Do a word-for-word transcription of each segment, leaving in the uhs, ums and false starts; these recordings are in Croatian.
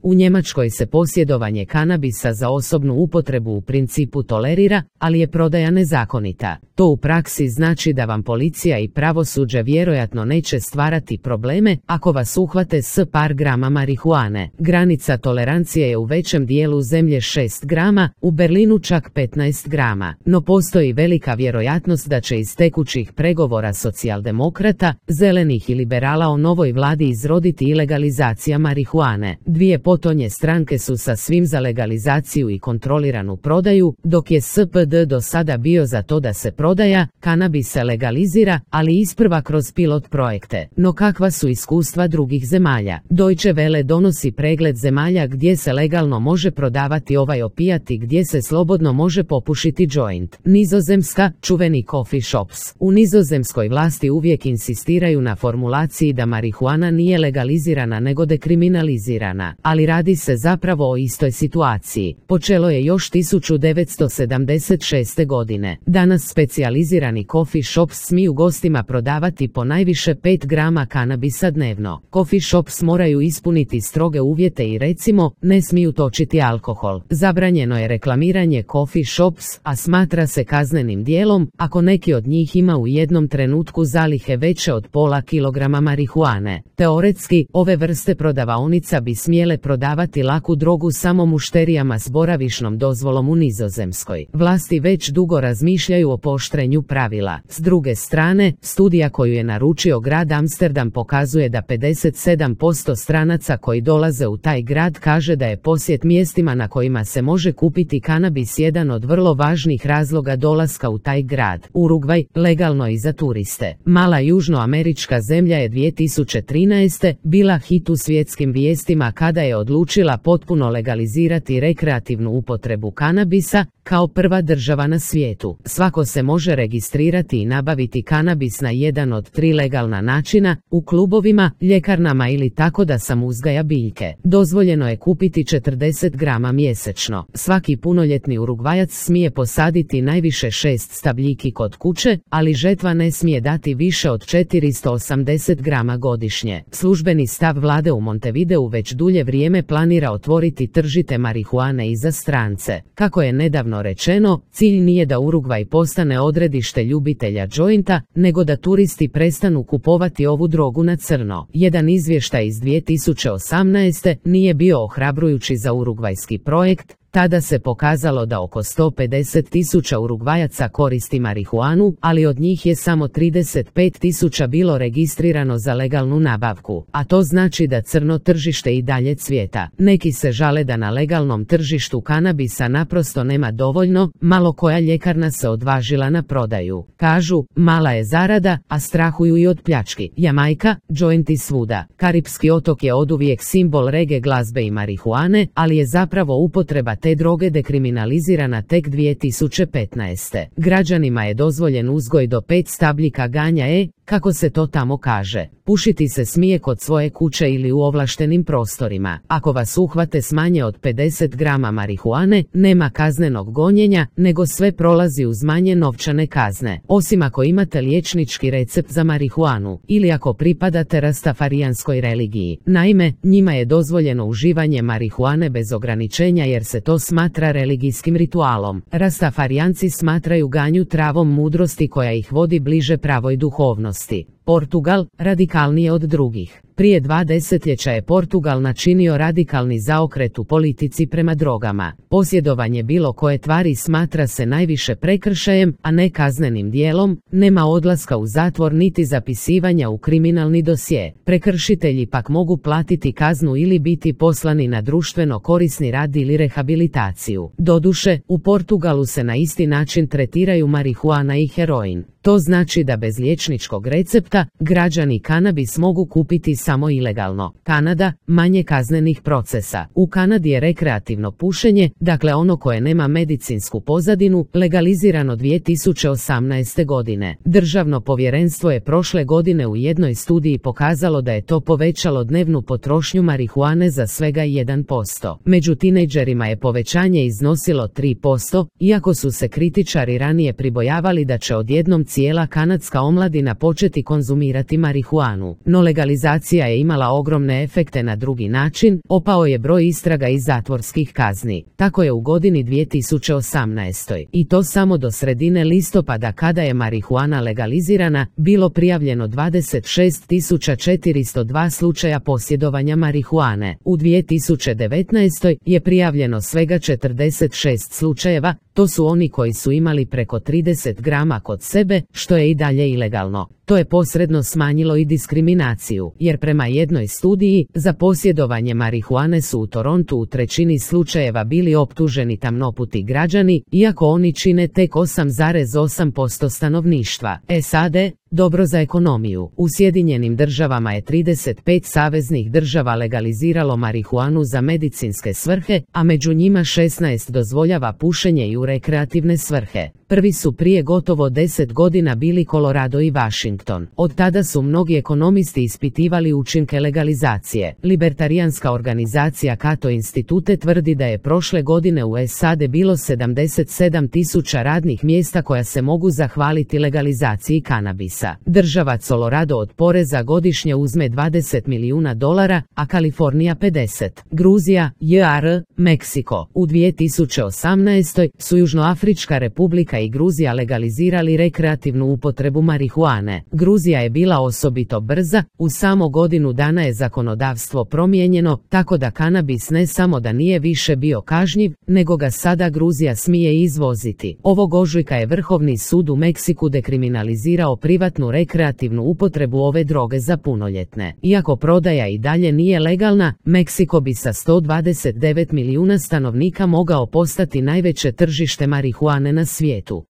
U Njemačkoj se posjedovanje kanabisa za osobnu upotrebu u principu tolerira, ali je prodaja nezakonita. To u praksi znači da vam policija i pravosuđe vjerojatno neće stvarati probleme ako vas uhvate s par grama marihuane. Granica tolerancije je u većem dijelu zemlje šest grama, u Berlinu čak petnaest grama. No postoji velika vjerojatnost da će iz tekućih pregovora socijaldemokrata, zelenih i liberala o novoj vladi izroditi i legalizacija marihuane. Dvije potonje stranke su sa svim za legalizaciju i kontroliranu prodaju, dok je S P D do sada bio za to da se prodaja kanabis se legalizira, ali isprva kroz pilot projekte. No kakva su iskustva drugih zemalja? Deutsche Welle donosi pregled zemalja gdje se legalno može prodavati ovaj opijat i gdje se slobodno može popušiti joint. Nizozemska, čuveni coffee shops. U nizozemskoj vlasti uvijek insistiraju na formulaciji da marihuana nije legalizirana nego dekriminalizirana, ali radi se zapravo o istoj situaciji. Počelo je još tisuću devetsto sedamdeset šeste. godine. Danas specijalizirani coffee shops smiju gostima prodavati po najviše pet grama kanabisa dnevno. Coffee shops moraju ispuniti stroge uvjete i recimo, ne smiju točiti alkohol. Zabranjeno je reklamiranje coffee shops, a smatra se kaznenim djelom ako neki od njih ima u jednom trenutku zalihe veće od pola kilograma marihuane. Teoretski, ove vrste prodavaonica bi smjele prodavati laku drogu samo mušterijama s boravišnom dozvolom u Nizozemskoj. Vlasti već dugo razmišljaju o pooštrenju pravila. S druge strane, studija koju je naručio grad Amsterdam pokazuje da pedeset sedam posto stranaca koji dolaze u taj grad kaže da je posjet mjestima na kojima se može kupiti kanabis jedan od vrlo važnih razloga dolaska u taj grad. Urugvaj, legalno i za turiste. Mala južnoamerička zemlja je dvije tisuće trinaeste. bila hit u svjetskim vijestima kada je odlučila potpuno legalizirati rekreativnu upotrebu kanabisa, kao prva država na svijetu. Svako se može registrirati i nabaviti kanabis na jedan od tri legalna načina, u klubovima, ljekarnama ili tako da sam uzgaja biljke. Dozvoljeno je kupiti četrdeset grama mjesečno. Svaki punoljetni Urugvajac smije posaditi najviše šest stabljiki kod kuće, ali žetva ne smije dati više od četiristo osamdeset grama godišnje. Službeni stav vlade u Montevideu već dulje vrijeme planira otvoriti tržište marihuane i za strance. Kako je nedavno rečeno, cilj nije da Urugvaj postane odredište ljubitelja džointa, nego da turisti prestanu kupovati ovu drogu na crno. Jedan izvještaj iz dvije tisuće osamnaeste. nije bio ohrabrujući za urugvajski projekt. Tada se pokazalo da oko sto pedeset tisuća Urugvajaca koristi marihuanu, ali od njih je samo trideset pet tisuća bilo registrirano za legalnu nabavku, a to znači da crno tržište i dalje cvjeta. Neki se žale da na legalnom tržištu kanabisa naprosto nema dovoljno, malo koja ljekarna se odvažila na prodaju. Kažu, mala je zarada, a strahuju i od pljački. Jamajka, džointi svuda. Karipski otok je oduvijek simbol rege glazbe i marihuane, ali je zapravo upotreba te droge dekriminalizirana tek dvije tisuće petnaeste. Građanima je dozvoljen uzgoj do pet stabljika ganja e, kako se to tamo kaže. Pušiti se smije kod svoje kuće ili u ovlaštenim prostorima. Ako vas uhvate s manje od pedeset grama marihuane, nema kaznenog gonjenja, nego sve prolazi uz manje novčane kazne. Osim ako imate liječnički recept za marihuanu, ili ako pripadate rastafarijanskoj religiji. Naime, njima je dozvoljeno uživanje marihuane bez ograničenja jer se to smatra religijskim ritualom. Rastafarijanci smatraju ganju travom mudrosti koja ih vodi bliže pravoj duhovnosti. Portugal, radikalnije od drugih. Prije dva desetljeća je Portugal načinio radikalni zaokret u politici prema drogama. Posjedovanje bilo koje tvari smatra se najviše prekršajem, a ne kaznenim dijelom, nema odlaska u zatvor niti zapisivanja u kriminalni dosje. Prekršitelji pak mogu platiti kaznu ili biti poslani na društveno korisni rad ili rehabilitaciju. Doduše, u Portugalu se na isti način tretiraju marihuana i heroin. To znači da bez liječničkog recepta, građani kanabis mogu kupiti samo ilegalno. Kanada, manje kaznenih procesa. U Kanadi je rekreativno pušenje, dakle ono koje nema medicinsku pozadinu, legalizirano dvije tisuće osamnaeste. godine. Državno povjerenstvo je prošle godine u jednoj studiji pokazalo da je to povećalo dnevnu potrošnju marihuane za svega jedan posto. Među tinejdžerima je povećanje iznosilo tri posto, iako su se kritičari ranije pribojavali da će odjednom cijela kanadska omladina početi konzumirati marihuanu. No legalizacija legalizacija je imala ogromne efekte na drugi način, opao je broj istraga i zatvorskih kazni. Tako je u godini dvije tisuće osamnaestoj, i to samo do sredine listopada kada je marihuana legalizirana, bilo prijavljeno dvadeset šest tisuća četiristo dva slučaja posjedovanja marihuane. U dvije tisuće devetnaestoj je prijavljeno svega četrdeset šest slučajeva, to su oni koji su imali preko trideset grama kod sebe, što je i dalje ilegalno. To je posredno smanjilo i diskriminaciju, jer prema jednoj studiji, za posjedovanje marihuane su u Torontu u trećini slučajeva bili optuženi tamnoputi građani, iako oni čine tek osam zarez osam posto stanovništva. S A D, dobro za ekonomiju. U Sjedinjenim državama je trideset pet saveznih država legaliziralo marihuanu za medicinske svrhe, a među njima šesnaest dozvoljava pušenje i u rekreativne svrhe. Prvi su prije gotovo deset godina bili Colorado i Washington. Od tada su mnogi ekonomisti ispitivali učinke legalizacije. Libertarijanska organizacija Cato Institute tvrdi da je prošle godine u S A D bilo sedamdeset sedam tisuća radnih mjesta koja se mogu zahvaliti legalizaciji kanabisa. Država Colorado od poreza godišnje uzme dvadeset milijuna dolara, a Kalifornija pedeset. Gruzija, J R, Meksiko. U dvije tisuće osamnaestoj su Južnoafrička republika i Gruzija legalizirali rekreativnu upotrebu marihuane. Gruzija je bila osobito brza, u samo godinu dana je zakonodavstvo promijenjeno, tako da kanabis ne samo da nije više bio kažnjiv, nego ga sada Gruzija smije izvoziti. Ovog ožujka je Vrhovni sud u Meksiku dekriminalizirao privatnu rekreativnu upotrebu ove droge za punoljetne. Iako prodaja i dalje nije legalna, Meksiko bi sa sto dvadeset devet milijuna stanovnika mogao postati najveće tržište marihuane na svijetu.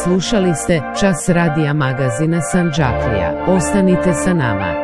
Slušali ste Čas radija magazina Sandžaklija. Ostanite sa nama.